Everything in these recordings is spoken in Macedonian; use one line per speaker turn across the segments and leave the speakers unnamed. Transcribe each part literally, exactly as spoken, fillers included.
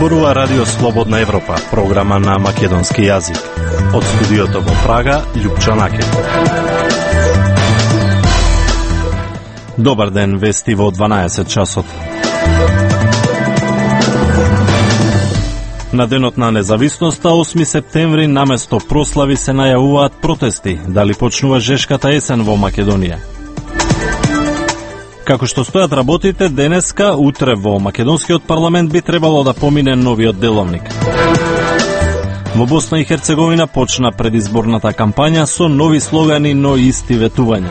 Зборува Радио Слободна Европа, програма на македонски јазик. Од студиото во Прага, Љупчо Наке. Добар ден, вести во дванаесет часот. На денот на независноста, осми септември, наместо прослави се најавуваат протести. Дали почнува жешката есен во Македонија? Како што стојат работите, денеска, утре во македонскиот парламент би требало да помине новиот деловник. Во Босна и Херцеговина почна предизборната кампања со нови слогани, но исти ветувања.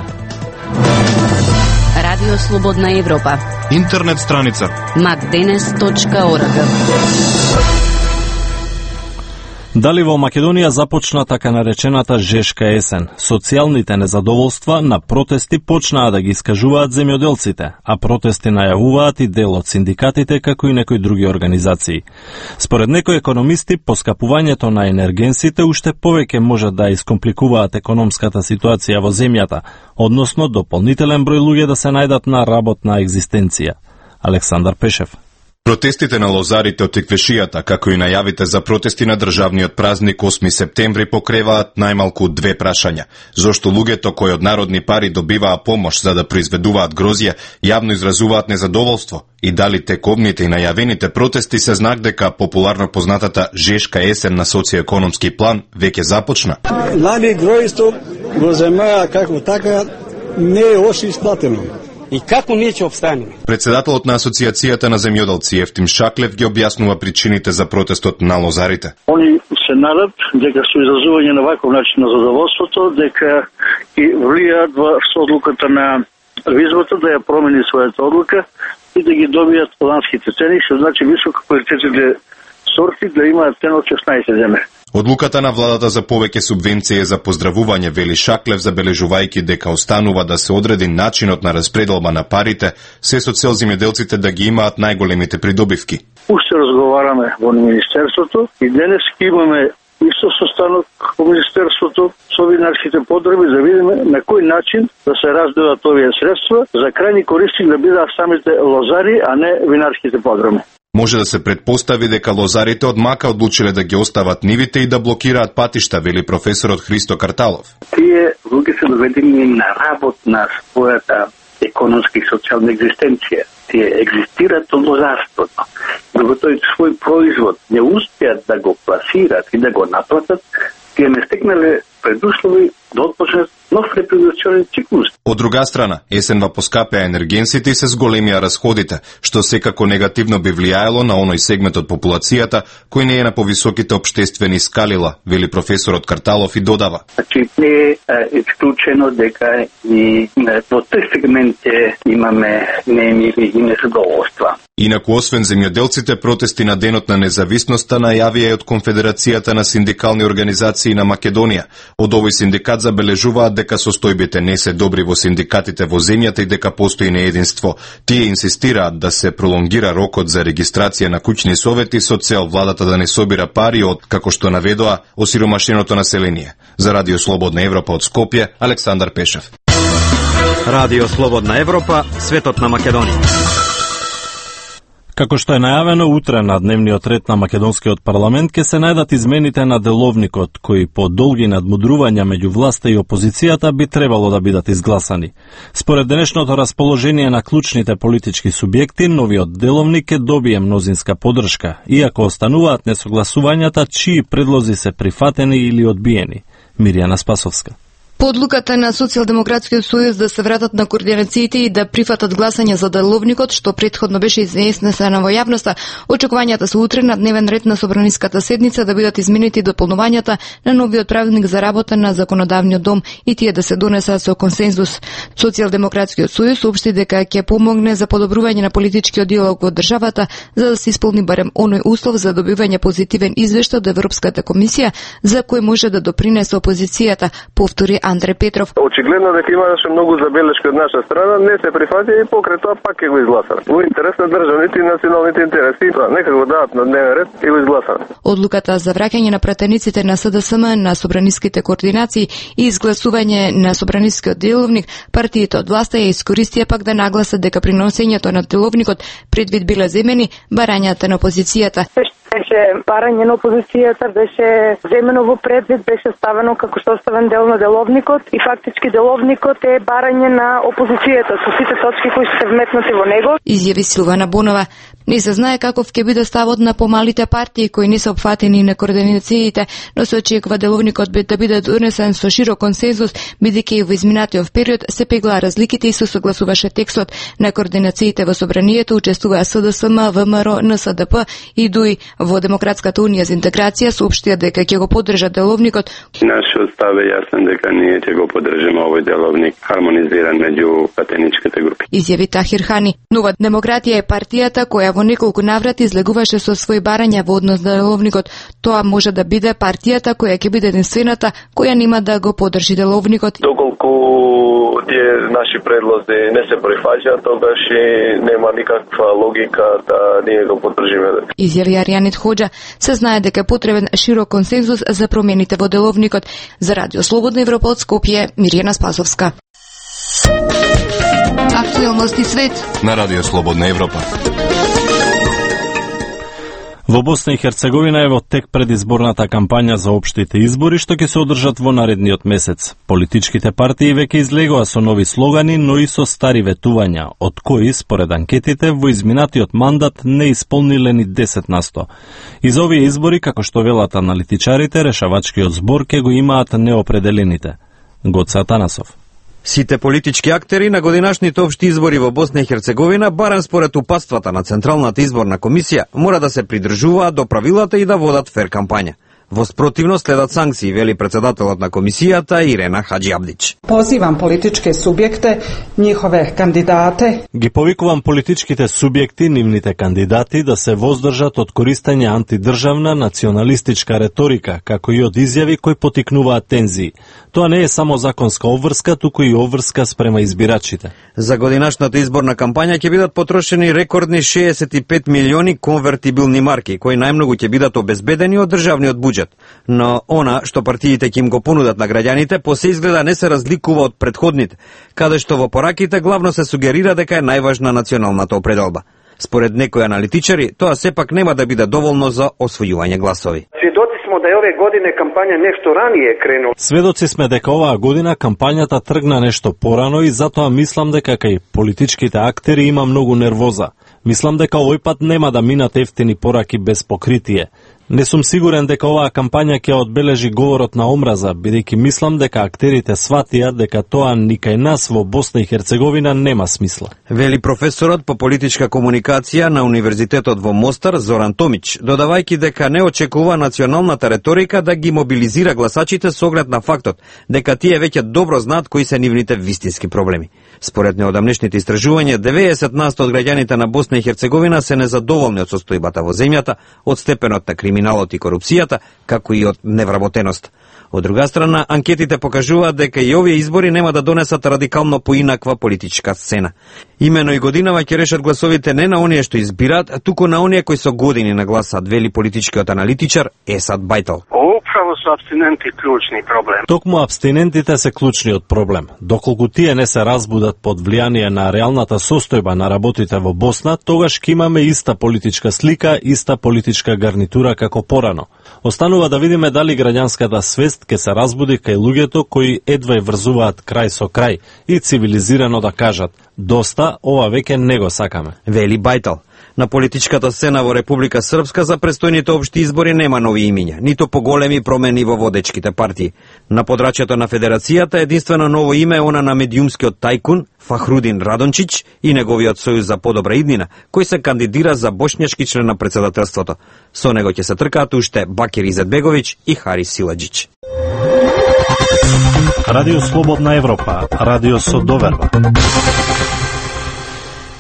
Радио Слободна Европа.
Интернет страница
макденес точка орг.
Дали во Македонија започна така наречената жешка есен? Социјалните незадоволства на протести почнаа да ги искажуваат земјоделците, а протести најавуваат и дел од синдикатите, како и некои други организации. Според некои економисти, поскапувањето на енергенсите уште повеќе може да искомпликуваат економската ситуација во земјата, односно дополнителен број луѓе да се најдат на работна екзистенција. Александар Пешев.
Протестите на лозарите од Теквешијата, како и најавите за протести на државниот празник осми септември покреваат најмалку две прашања. Зошто луѓето кои од народни пари добиваа помош за да произведуваат грозје, јавно изразуваат незадоволство? И дали тековните и најавените протести се знак дека популарно познатата жешка есен на социјоекономски план веќе започна?
Нали гројство во земја како така не е оше исплатено. И како ние ќе обстанеме?
Председателот на Асоциацијата на земјоделци Ефтим Шаклев ги објаснува причините за протестот на лозарите.
Они се надат дека со изразување на ваков начин на задоволството, дека и влијаат во одлуката на визбата да ја промени својата одлука и да ги добијат ланските цени, што значи високо квалитетните сорти да имаат цена од шеснаесет земе.
Одлуката на владата за повеќе субвенции за поздравување, вели Шаклев, забележувајќи дека останува да се одреди начинот на распределба на парите, се со цел земјоделците да ги имаат најголемите придобивки.
Уште разговараме во Министерството и денес имаме исто состанок во Министерството со винарските подреби да видиме на кој начин да се разделат овие средства за крајни користи да бидат самите лозари, а не винарските подреби.
Може да се предпостави дека лозарите од мака одлучиле да ги остават нивите и да блокираат патишта, вели професорот Христо Карталов.
Тие луѓе се доведени на работ на својата економска и социјална екзистенција. Тие екзистираат од лозарството. Докато тој свој производ не успеат да го пласират и да го наплатат, тие не стекнале предуслови да отпочнат нов репродукционен циклус.
Од друга страна, есенва поскапеа енергенсите и се зголемија расходите, што секако негативно би влијаело на оној сегмент од популацијата кој не е на повисоките обштествени скалила, вели професорот Карталов и додава.
Значи, не е исклучено дека и во тој сегмент имаме неемили и незадоволства.
Инаку, освен земјоделците, протести на денот на независноста најавија и од Конфедерацијата на синдикални организации на Македонија. Од овој синдикат забележуваат дека состојбите не се добри во синдикатите во земјата и дека постои неединство. Тие инсистираат да се пролонгира рокот за регистрација на куќни совети со цел владата да не собира пари од, како што наведоа, осиромашеното население. За Радио Слободна Европа од Скопје, Александар Пешев.
Радио Слободна Европа, светот на Македонија.
Како што е најавено, утре на дневниот ред на македонскиот парламент ќе се најдат измените на деловникот, кои по долги надмудрувања меѓу власта и опозицијата би требало да бидат изгласани. Според денешното расположение на клучните политички субјекти, новиот деловник ќе добие мнозинска поддршка, иако остануваат несогласувањата чии предлози се прифатени или одбиени. Мирјана Спасовска.
По одлуката на Социјалдемократскиот сојуз да се вратат на координациите и да прифатат гласање за деловникот, што претходно беше изнесено во јавноста, очекувањата се утре на дневен ред на собраниската седница да бидат изменети дополнувањата на новиот правилник за работа на законодавниот дом и тие да се донесат со консензус. Социјалдемократскиот сојуз соопшти дека ќе помогне за подобрување на политичкиот диалог во државата за да се исполни барем оној услов за добивање позитивен извештај од Европската комисија за кој може да допринесе опозицијата, повтори Андре Петров.
Очигледно дека имаше многу забелешки од наша страна, не се прифати и покрај тоа пак ќе го изгласат. Во интерес на државните и националните интереси, нека го дадат на дневен ред и го изгласат.
Одлуката за враќање на пратениците на СДСМ на собраниските координации и изгласување на собранискиот деловник, партиите од власта ја искористија пак да нагласат дека при носењето на деловникот предвид биле земени барањата на опозицијата.
Беше барање на опозицијата, беше земено во предвид, беше ставено како составен дел на деловникот и фактички деловникот е барање на опозицијата со сите точки кои се вметнати во него.
Изјави Силвана Бонова. Не се знае каков ќе биде ставот на помалите партии кои не се опфатени на координациите, но се очекува деловникот да биде донесен со широк консензус, бидејќи и во изминатиот период се пеглаа разликите и се согласуваше текстот на координациите во собранието, учествуваа СДСМ, ВМРО, НСДП и ДУИ. Во Демократската унија за интеграција соопштија дека ќе го поддржат деловникот.
Нашиот став е јасен дека ние ќе го поддржиме овој деловник хармонизиран меѓу патеничките групи.
Изјави Тахир Хани. Нова демократија е партијата која во неколку наврати излегуваше со своји барања во однос на деловникот. Тоа може да биде партијата која ќе биде единствената која нема да го поддржи деловникот.
Доколку тие наши предлози не се прифаќаат, тогаш нема никаква логика да ние го поддржиме.
Изјави Аријанит Хоџа. Се знае дека е потребен широк консензус за промените во деловникот. За Радио Слободна Европа од Скопје, Мирјана Спасовска. Актуелности свет
на Радио Слободна Европа.
Во Босна и Херцеговина е во тек предизборната кампања за општите избори што ќе се одржат во наредниот месец. Политичките партии веќе излегоа со нови слогани, но и со стари ветувања, од кои, според анкетите, во изминатиот мандат не исполниле ни десет на сто. И за овие избори, како што велат аналитичарите, решавачкиот збор ќе го имаат неопределените. Гоце Атанасов.
Сите политички актери на годинашните општи избори во Босна и Херцеговина, барем според упатствата на Централната изборна комисија, мора да се придржуваат до правилата и да водат фер кампања. Во спротивно следат санкции, вели председателот на комисијата Ирена Хаджи Абдич.
Позивам политичке субјекте, нивове кандидате.
Ги повикувам политичките субјекти, нивните кандидати да се воздржат од користење антидржавна националистичка реторика, како и од изјави кои потикнуваат тензии. Тоа не е само законска обврска, туку и обврска спрема избирачите.
За годинашната изборна кампања ќе бидат потрошени рекордни шеесет и пет милиони конвертибилни марки, кои најмногу ќе бидат обезбедени од државниот буџет. Но она што партиите ќе им го понудат на граѓаните, по се изгледа не се разликува од претходните, каде што во пораките главно се сугерира дека е најважна националната определба. Според некои аналитичари, тоа сепак нема да биде доволно за освојување гласови.
Сведоци сме да ове године кампања нешто ранije кренува.
Сведоци сме дека оваа година кампањата тргна нешто порано и затоа мислам дека кај политичките актери има многу нервоза. Мислам дека овој пат нема да минат ефтини пораки без покритие. Не сум сигурен дека оваа кампања ќе одбележи говорот на омраза, бидејќи мислам дека актерите сватија дека тоа ни кај нас во Босна и Херцеговина нема смисла.
Вели професорот по политичка комуникација на Универзитетот во Мостар Зоран Томич, додавајќи дека не очекува националната реторика да ги мобилизира гласачите со оглед на фактот дека тие веќе добро знаат кои се нивните вистински проблеми. Според неодамнешните истражувања, деветдесет на сто од граѓаните на Босна и Херцеговина се незадоволни од состојбата во земјата, од степенот на криминалот и корупцијата, како и од невработеност. Од друга страна, анкетите покажуваат дека и овие избори нема да донесат радикално поинаква политичка сцена. Имено и годинава ќе решат гласовите не на оние што избираат, туку на оние кои со години нагласат, вели политичкиот аналитичар Есад Бајтал.
Управо со абстиненти клучни проблем.
Токму абстинентите се клучниот проблем. Доколку тие не се разбудат под влијание на реалната состојба на работите во Босна, тогаш ќе имаме иста политичка слика, иста политичка гарнитура како порано. Останува да видиме дали граѓанската свест ќе се разбуди кај луѓето кои едва и врзуваат крај со крај и цивилизирано да кажат: доста, ова веќе не го сакаме.
Вели Бајтал. На политичката сцена во Република Српска за престојните општи избори нема нови имиња, нито поголеми промени во водечките партии. На подрачјето на Федерацијата единствено ново име е она на медиумскиот тајкун Фахрудин Радончич и неговиот сојуз за подобра иднина, кој се кандидира за бошњашки член на председателството. Со него ќе се тркаат уште Бакир Изетбеговиќ и Харис Силаджич.
Радио Слободна Европа, радио со доверба.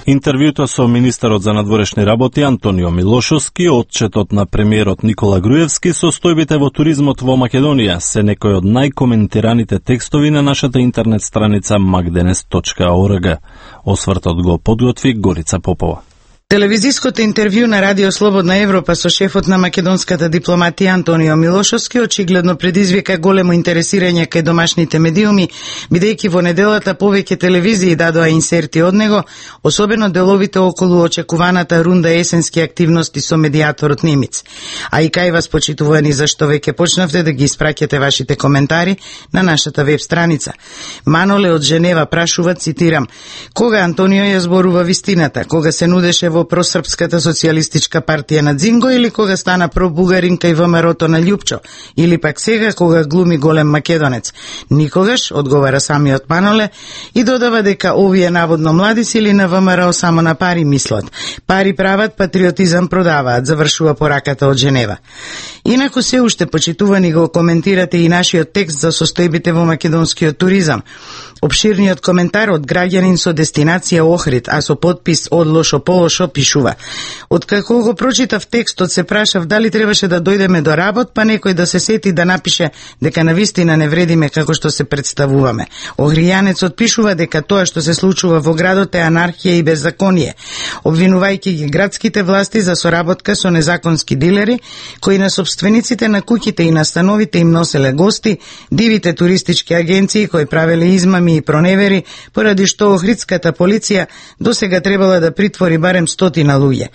Интервјуто со министерот за надворешни работи Антонио Милошовски, отчетот на премиерот Никола Груевски, состојбите во туризмот во Македонија се некои од најкоментираните текстови на нашата интернет страница макденес точка орг. Освртот го подготви Горица Попова.
Телевизиското интервју на Радио Слободна Европа со шефот на македонската дипломатија Антонио Милошовски очигледно предизвика големо интересирање кај домашните медиуми, бидејќи во неделата повеќе телевизии дадоа инсерти од него, особено деловите околу очекуваната рунда есенски активности со медијаторот Немиц. А и кај вас, почитувани, зашто веќе почнавте да ги испраќате вашите коментари на нашата веб страница. Маноле од Женева прашува, цитирам: кога Антонио ја зборува вистината, кога се нудеше во просрпската социјалистичка партија на Дзинго или кога стана пробугарин кај ВМРО-то на Љупчо, или пак сега кога глуми голем македонец? Никогаш, одговара самиот Маноле и додава дека овие наводно млади сили на ВМРО само на пари мислат. Пари прават, патриотизам продаваат, завршува пораката од Женева. Инаку се уште, почитувани, го коментирате и нашиот текст за состојбите во македонскиот туризам. Обширниот коментар од граѓанин со дестинација Охрид, а со подпис од лошо по лошо, пишува: откако го прочитав текстот, се прашав дали требаше да дојдеме до работ, па некој да се сети да напише дека навистина не вредиме како што се представуваме. Охријанецот пишува дека тоа што се случува во градот е анархија и беззаконие, обвинувајќи ги градските власти за соработка со незаконски дилери, кои на собствениците на куќите и на становите им носеле гости, дивите туристички агенции кои правеле измами и проневери, поради што охридската полиција досега требала да притвори барем стотина луѓе.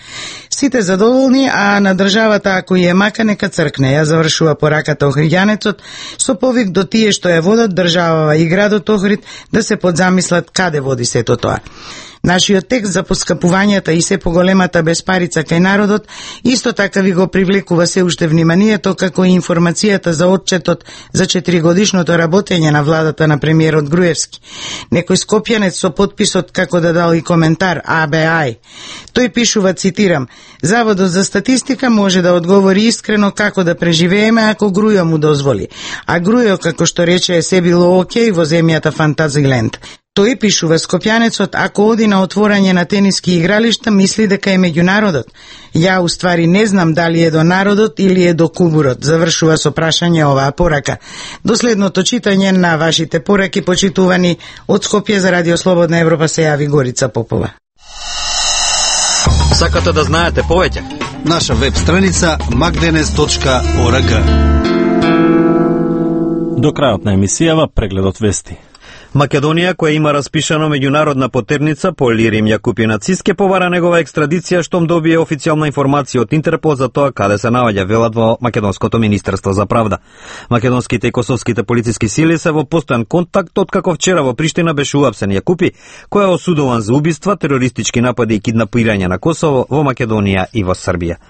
Сите задоволни, а на државата ако ја мака нека цркне, ја завршува пораката охријанецот со повик до тие што ја водат државава и градот Охрид да се подзамислат каде води сето тоа. Нашиот текст за поскапувањата и се поголемата безпарица кај народот исто така ви го привлекува се уште вниманието, како и информацијата за отчетот за четиригодишното работење на владата на премиерот Груевски. Некој скопјанец со подписот како да дал и коментар А Б А. Тој пишува, цитирам: Заводот за статистика може да одговори искрено како да преживееме ако Грујо му дозволи. А Грујо, како што рече, се било окей во земјата Фантазиленд. Тој, пишува скопјанецот, ако оди на отворање на тениски игралишта, мисли дека е меѓу народот. Ја, уствари, не знам дали е до народот или е до кубурот, завршува со прашање оваа порака. До следното читање на вашите пораки, почитувани, од Скопје за Радио Слободна Европа се јави Горица Попова.
Сакате да знаете повеќе?
Наша веб страница макденес точка орг.
До крајот на емисијава прегледот вести.
Македонија, која има распишано меѓународна потерница по Илирим Јакупинацис, ке повара негова екстрадиција штом добие официјална информација од Интерпол за тоа каде се наоѓа, велат во Македонското министерство за правда. Македонските и косовските полициски сили се во постојан контакт откако вчера во Приштина беше уапсен Јакупи, кој е осудуван за убиства, терористички напади и киднапирање на Косово, во Македонија и во Србија.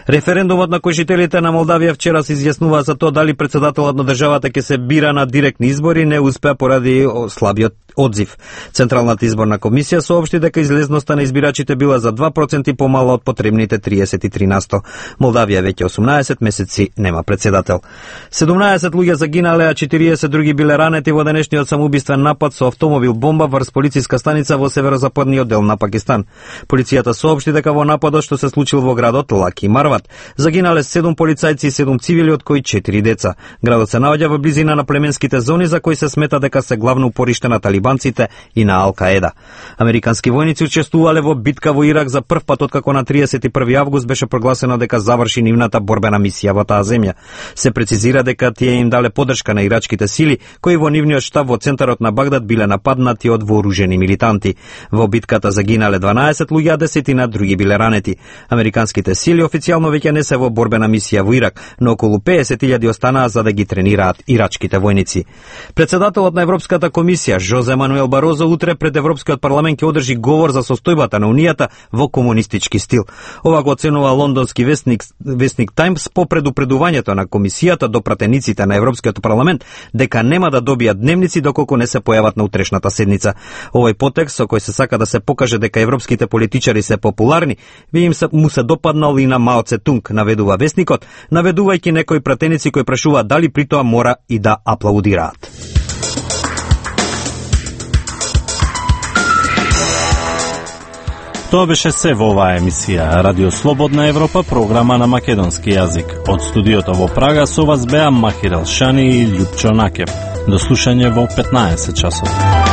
Референдумот на кој жителите на Молдавија вчера се изјаснува за тоа дали председателот на државата ќе се бира на директни избори, не успеа поради слабиот одзив. Централната изборна комисија соопшти дека излезноста на избирачите била за два проценти помала од потребните триесет и три на сто. Молдавија веќе осумнаесет месеци нема председател. седумнаесет луѓе загинале, а четириесет други биле ранети во денешниот самоубиствен напад со автомобил бомба врз полициска станица во северозападниот дел на Пакистан. Полицијата соопшти дека во нападот што се случил во градот Лаки Марват загинале седум полицајци и седум цивили, од кои четири деца. Градот се наоѓа во близина на племенските зони за кои се смета дека се главно упориште на талибанците и на Ал-Каеда. Американски војници учествувале во битка во Ирак за прв пат откако на триесет и први август беше прогласено дека заврши нивната борбена мисија во таа земја. Се прецизира дека тие им дале поддршка на ирачките сили, кои во нивниот штаб во центарот на Багдад биле нападнати од вооружени милитанти. Во битката загинале дванаесет луѓе, а десетина други биле ранети. Американските сили официјално веќе не се во борбена мисија во Ирак, но околу песет илјади останаа за да ги тренираат ирачките војници. Председателот на Европската комисија Жозе Мануел Барозо утре пред Европскиот парламент ќе одржи говор за состојбата на Унијата во комунистички стил. Ова го оценува лондонски вестник Вестник Таймс по предупредувањето на комисијата до пратениците на Европскиот парламент дека нема да добијат дневници доколку не се појават на утрешната седница. Овој потекст со кој се сака да се покаже дека европските политичари се популарни, би им се, му се допаднал и на Мао Цетунг, наведува вестникот, наведувајќи некои пратеници кои прашуваат дали при тоа мора и да аплаудираат.
Тоа беше се во оваа емисија Радио Слободна Европа, програма на македонски јазик. Од студиото во Прага со вас беа Махир Елшани и Љупчо Накев. До слушање во петнаесет часот.